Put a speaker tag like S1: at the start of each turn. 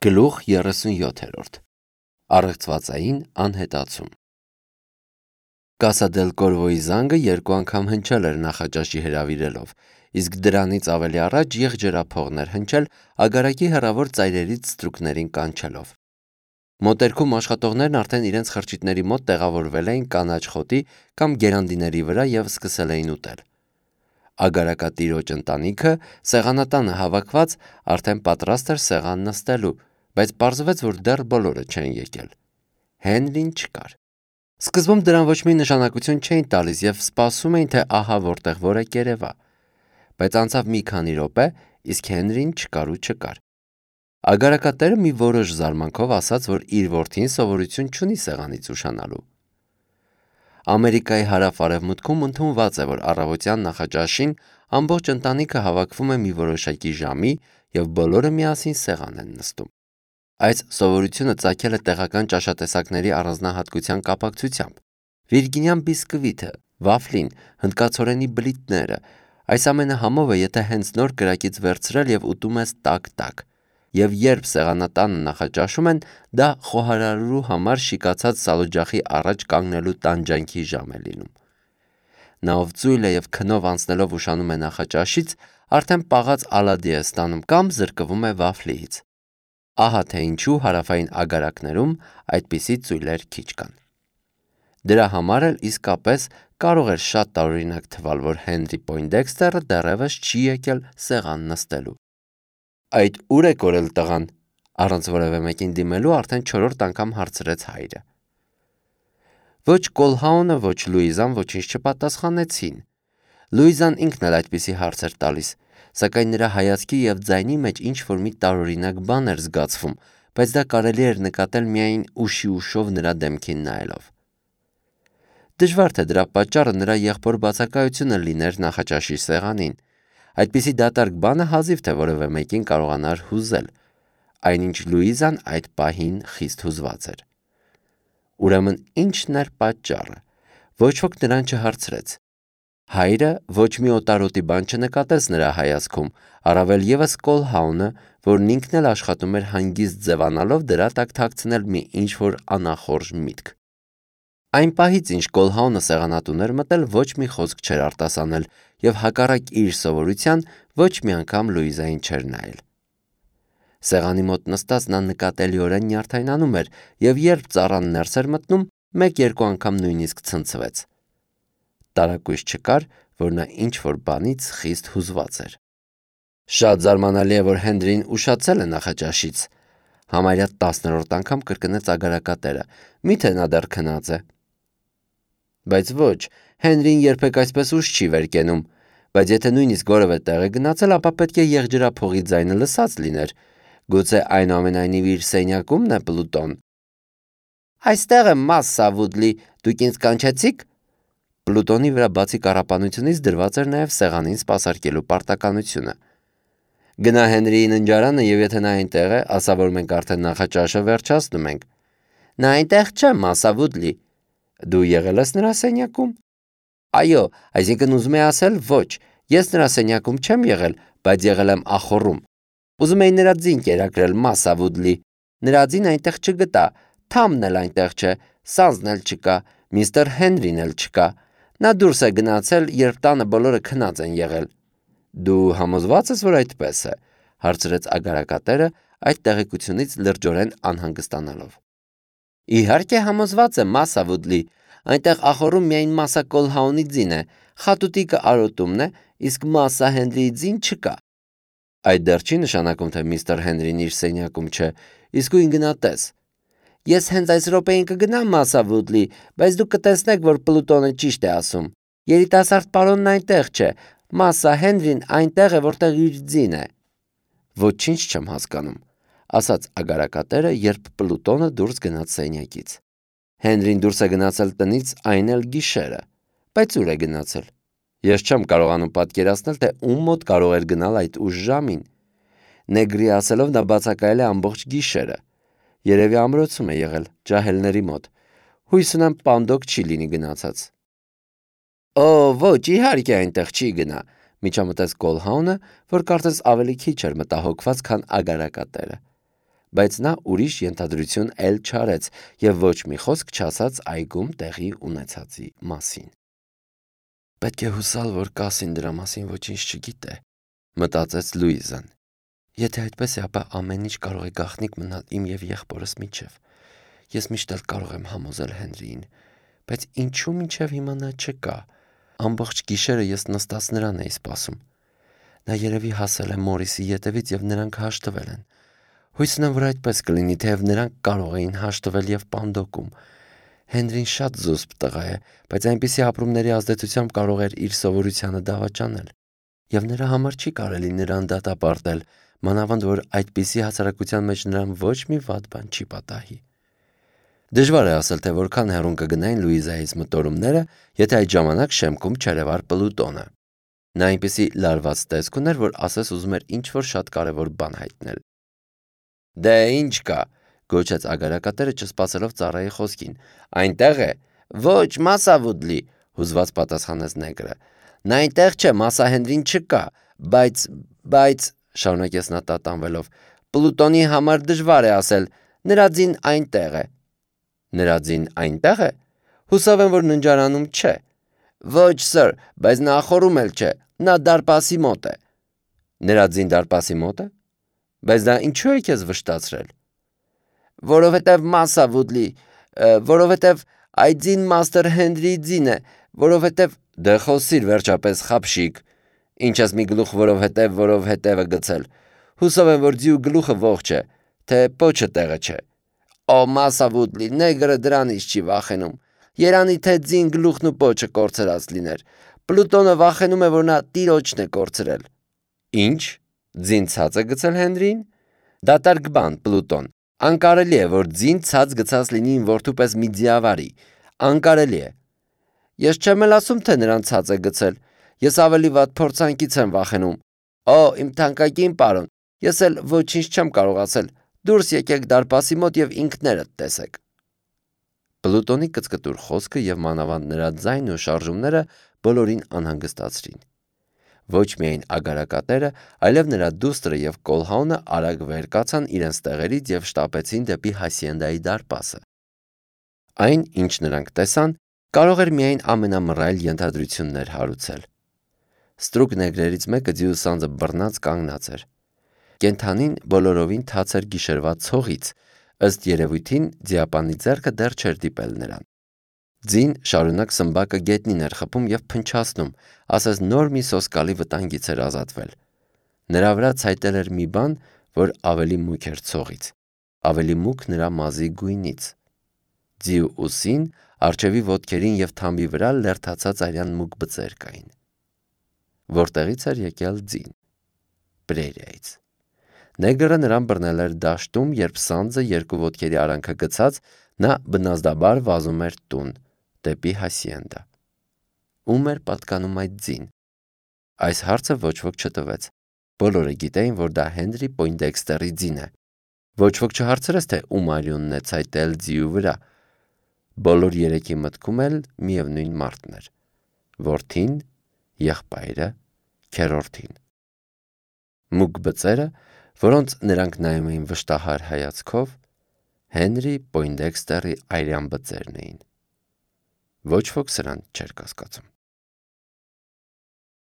S1: Գլուխ 37 Առեղծվածային անհետացում Կասա դել Կորվոյի զանգը երկու անգամ հնչել էր նախաճաշի հրավիրելով, իսկ դրանից ավելի առաջ եղջերափողներ հնչել ագարակի հեռավոր ծայրերից ստրուկներին կանչելով։ Մոտերքում աշխատողներն արդեն իրենց խրճիթների մոտ տեղավորվել էին կանաչ խոտի կամ գերանդիների վրա և սկսել էին ուտել։ Ագարակատիրոջ ընտանիքը սեղանատանը հավաքված արդեն պատրաստ էր սեղան նստելու, բայց պարզվեց, որ դեռ բոլորը չեն եկել։ Հենրին չկար։ Սկզբում դրան ոչ մի նշանակություն չէին տալիս և սպասում էին, թե ահա որտեղ որ է կերևա, բայց անցավ մի քանի րոպե, իսկ Հենրին չկար ու չկար։ Ագարակատերը մի որոշ զարմանքով ասաց, որ իր որդին սովորություն չունի սեղանից ուշանալու։ Ամերիկայի հարավ-արևմուտքում ընդունված է, որ առավոտյան նախաճաշին ամբողջ ընտանիքը հավաքվում է մի որոշակի ժամի և բոլորը միասին սեղան են նստում։ Այս սովորությունը ծագել է տեղական ճաշատեսակների առանձնահատկության կապակցությամբ։ Վիրգինյան բիսկվիթը, վաֆլին, հնդկացորենի բլիթները, այս ամենը համով է, եթե հենց նոր կրակից վերցրել և ուտում ես տաք-տաք, և երբ սեղանատանը նախաճաշում են, դա խոհարարելու համար շիկացած սալօջախի առաջ կանգնելու տանջանքի ժամ է լինում։ Նա ով ծույլ է և քնով անցնելով ուշանում է նախաճաշից, արդեն պաղած ալադի է ստանում կամ զրկվում է վաֆլիից։ Ահա թե ինչու հարավային ագարակներում այդպիսի ծույլեր քիչ կան։ Դրա համար էլ իսկապես կարող էր շատ տարօրինակ թվալ, որ Հենրի Պոյնդեքստերը դեռևս չի եկել սեղան նստելու։ Այդ ուր է կորել տղան, առանց որևէ մեկին դիմելու արդեն 4-րդ անգամ հարցրեց հայրը։ Ոչ Կոլհաունը, ոչ Լուիզան ոչինչ չպատասխանեցին։ Լուիզան ինքն էլ այդպիսի հարց էր տալիս, սակայն նրա հայացքի և ձայնի մեջ ինչ-որ մի տարօրինակ բան էր զգացվում, բայց դա կարելի էր նկատել միայն ուշի ուշով նրա դեմքին նայելով։ Դժվար թե դրա պատճառը նրա եղբոր բացակայությունը լիներ նախաճաշի սեղանին։ Այդպիսի դատարկ բանը հազիվ թե որևէ մեկին կարողանար հուզել, այնինչ Լուիզան այդ պահին խիստ հուզված էր։ Ուրեմն ի՞նչն էր պատճառը։ Ոչ ոք նրան չհարցրեց։ Հայրը ոչ մի օտարոտի բան չնկատեց նրա հայացքում, առավել ևս Կոլհաունը, որն ինքն էլ աշխատում էր հանգիստ ձևանալով դրա տակ թաքցնել մի ինչ-որ անախորժ միտք։ Այն պահից, ինչ Կոլհաունը սեղանատուն էր մտել, ոչ մի խոսք չէր արտասանել և հակառակ իր սովորության ոչ մի անգամ Լուիզային չէր նայել։ Սեղանի մոտ նստած նա նկատելիորեն նյարդայնանում էր և երբ ծառան ներս էր մտնում, մեկ-երկու անգամ նույնիսկ ցնցվեց։ Տարակույս չկար, որ նա ինչ-որ բանից խիստ հուզված էր։ Շատ զարմանալի է, որ Հենրին ուշացել է նախաճաշից, համարյա 10-րդ անգամ կրկնեց ագարակատերը, միթե նա դեռ քնած է։ Բայց ոչ, Հենրին երբեք այսպես ուշ չի վեր կենում, բայց եթե նույնիսկ որևէ տեղ է գնացել, ապա պետք է եղջերափողի ձայնը լսած լիներ, գուցե այնուամենայնիվ իր սենյակումն է Պլուտոն։ Այստեղ եմ, Մասսա Վուդլի, դուք ինձ կանչեցի՞ք։ Պլուտոնի վրա բացի կառապանությունից դրված էր նաև սեղանին սպասարկելու պարտականությունը։ Գնա Հենրիի ննջարանը և եթե նա այնտեղ է, ասա, որ մենք արդեն նախաճաշը վերջացնում ենք։ Նա այնտեղ չէ, Մասսա Վուդլի։ Դու եղել ես նրա սենյակում։ Այո, այսինքն ուզում է ասել ոչ, ես նրա սենյակում չեմ եղել, բայց եղել եմ ախոռում։ Ուզում էի նրա ձին կերակրել, Մասսա Վուդլի։ Նրա ձին այնտեղ չգտա, Թամն էլ այնտեղ չէ, Սանձն էլ չկա, միստր Հենրին էլ չկա։ Նա դուրս է գնացել, երբ տանը բոլորը քնած են եղել։ Դու համոզված ես, որ այդպես է, հարցրեց ագարակատերը այդ տեղեկությունից լրջորեն անհանգստանալով։ Իհարկե համոզված եմ, Մասսա Վուդլի, այնտեղ ախոռում միայն Մասսա Կոլհաունի ձին է, խատուտիկը Արոտումն է, իսկ Մասսա Հենրիի ձին չկա։ Այդ դեռ չի նշանակում, թե միստր Հենրին իր սենյակում չէ, իսկույն գնա տես։ Ես հենց այս րոպեին կգնամ, Մասսա Վուդլի, բայց դուք կտեսնեք, որ Պլուտոնը ճիշտ է ասում։ Երիտասարդ պարոնն այնտեղ չէ, Մասսա Հենրին այնտեղ է, որտեղ իր ձին է։ Ոչինչ չեմ հասկանում, ասաց ագարակատերը, երբ Պլուտոնը դուրս գնաց սենյակից։ Հենրին դուրս է գնացել տնից այն էլ գիշերը, բայց ուր է գնացել։ Ես չեմ կարողանում պատկերացնել, թե ում մոտ կարող էր գնալ այդ ուշ ժամին։ Նեգրի ասելով նա բացակայել է ամբողջ գիշերը։ Երևի ամրոցում է եղել, ջահելների մոտ։ Հույս ունեմ պանդոկ չի լինի գնացած։ Օ, ոչ, իհարկե այնտեղ չի գնա, միջամտեց Կոլհաունը, որ կարծես ավելի քիչ էր մտահոգված, քան ագարակատերը։ բայց նա ուրիշ ենթադրություն էլ չարեց և ոչ մի խոսք չասաց այգում տեղի ունեցածի մասին։ «Պետք է հուսալ, որ Կասին դրա մասին ոչինչ չգիտե», մտածեց Լուիզան։ «Եթե այդպես է, ապա ամեն ինչ կարող է գաղտնիք մնալ իմ և եղբորս միջև։ Ես միշտ էլ կարող եմ համոզել Հենրիին, բայց ինչու մինչև հիմա նա չկա։ Ամբողջ գիշերը ես նստած նրան էի սպասում։ Նա երևի հասել է Մորիսի ետևից և նրանք հաշտվել են։ Հույս ունեմ, որ այդպես կլինի, թեև նրանք կարող էին հաշտվել և պանդոկում։ Հենրին շատ զուսպ տղա է, բայց այնպիսի ապրումների ազդեցությամբ կարող էր իր սովորությանը դավաճանել։ Եվ նրա համար չի կարելի նրան դատապարտել, մանավանդ որ այդպիսի հասարակության մեջ նրան ոչ մի վատ բան չի պատահի»։ Դժվար է ասել, թե որքան հեռուն կգնային Լուիզայից մտորումները, եթե այդ ժամանակ շեմքում չերևար Պլուտոնը։ Նա այնպիսի լարված տեսք ուներ, որ ասես ուզում էր ինչ-որ շատ կարևոր բան հայտնել։ «Դե ինչ կա», գոչեց ագարակատերը չսպասելով ծառայի խոսքին։ «Այնտեղ է»։ «Ոչ, Մասա Վուդլի», հուզված պատասխանեց նեգրը։ «Նա այնտեղ չէ, Մասա Հենրին չկա, բայց, շարունակեց նա տատանվելով, Պլուտոնի համար դժվար է ասել, նրա ձին այնտեղ է»։ «Նրա ձին այնտեղ է»։ «Հուսով եմ, որ ննջարանում չէ»։ «Ոչ, սըր, բայց նա խորում էլ չէ, նա դարպասի մոտ է»։ «Նրա ձին դարպասի մոտ է»։ «Բայց դա ինչու է քեզ վշտացրել»։ «Որովհետև Մասա Վուդլի, որովհետև այդ ձին Մաստր Հենրիի ձին է, որովհետև…» «Դե խոսիր վերջապես, խաբշիկ, ինչ ես մի գլուխ որովհետևը գցել։ Հուսով եմ, որ ձիու գլուխը ողջ է, թե պոչը տեղը չէ»։ «Օ, Մասա Վուդլի, նեգրը դրանից չի վախենում։ Երանի թե ձին գլուխն ու պոչը կորցրած լիներ։ Պլուտոնը վախենում է, որ նա տիրոջն է կորցրել»։ «Ինչ, ձին ցած է գցել Հենրիին»։ «Դատարկ բան, Պլուտոն, անկարելի է, որ ձին ցած գցած լինի իմ որդու պես մի ձիավարի։ Անկարելի է»։ «Ես չեմ էլ ասում, թե նրան ցած է գցել։ Ես ավելի վատ փորձանքից եմ վախենում»։ «Օ, իմ թանկագին պարոն, ես էլ ոչինչ չեմ կարող ասել։ Դուրս եկեք դարպասի մոտ և ինքներդ տեսեք»։ Պլուտոնի կծկտուր խոսքը և մանավանդ նրա ձայնն ու շարժումները բոլորին անհանգստացրին։ Ոչ միայն ագարակատերը, այլև նրա դուստրը և Կոլհաունը արագ վեր կացան իրենց տեղերից և շտապեցին դեպի Հասիենդայի դարպասը։ Այն, ինչ նրանք տեսան, կարող էր միայն ամենամռայլ ենթադրություններ հարուցել։ Ստրուկ նեգրերից մեկը ձիու սանձը բռնած կանգնած էր։ Կենդանին բոլորովին թաց էր գիշերվա ցողից, ըստ երևույթին ձիապանի ձեռքը դեռ չէր դիպել նրան։ Ձին շարունակ սմբակը գետնին էր խփում և փնչացնում, ասես նոր մի սոսկալի վտանգից էր ազատվել։ Նրա վրա ցայտել էր մի բան, որ ավելի մուգ էր ցողից, ավելի մուգ նրա մազի գույնից։ Ձիու ուսին, առջևի ոտքերին և թամբի վրա լերդացած արյան մուգ բծեր կային։ Որտեղից էր եկել ձին։ Պրերիայից։ Նեգրը նրան բռնել էր դաշտում, երբ սանձը երկու ոտքերի արանքը գցած, նա բնազդաբար վազում էր տուն, դեպի Հասիենդա։ Ում էր պատկանում այդ ձին։ Այս հարցը ոչ ոք չտվեց։ Բոլորը գիտեին, որ դա Հենրի Պոյնդեքստերի ձին է։ Ոչ ոք չհարցրեց, թե ում արյունն է ցայտել ձիու վրա։ Բոլոր երեքի մտքում էլ միևնույն մարդն էր՝ որդին, եղբայրը, քեռորդին։ Մուգ բծերը, որոնց նրանք նայում էին վշտահար հայացքով, Հենրի Պոյնդեքստերի արյան բծերն էին։ Ոչ ոք սրան չէր կասկածում։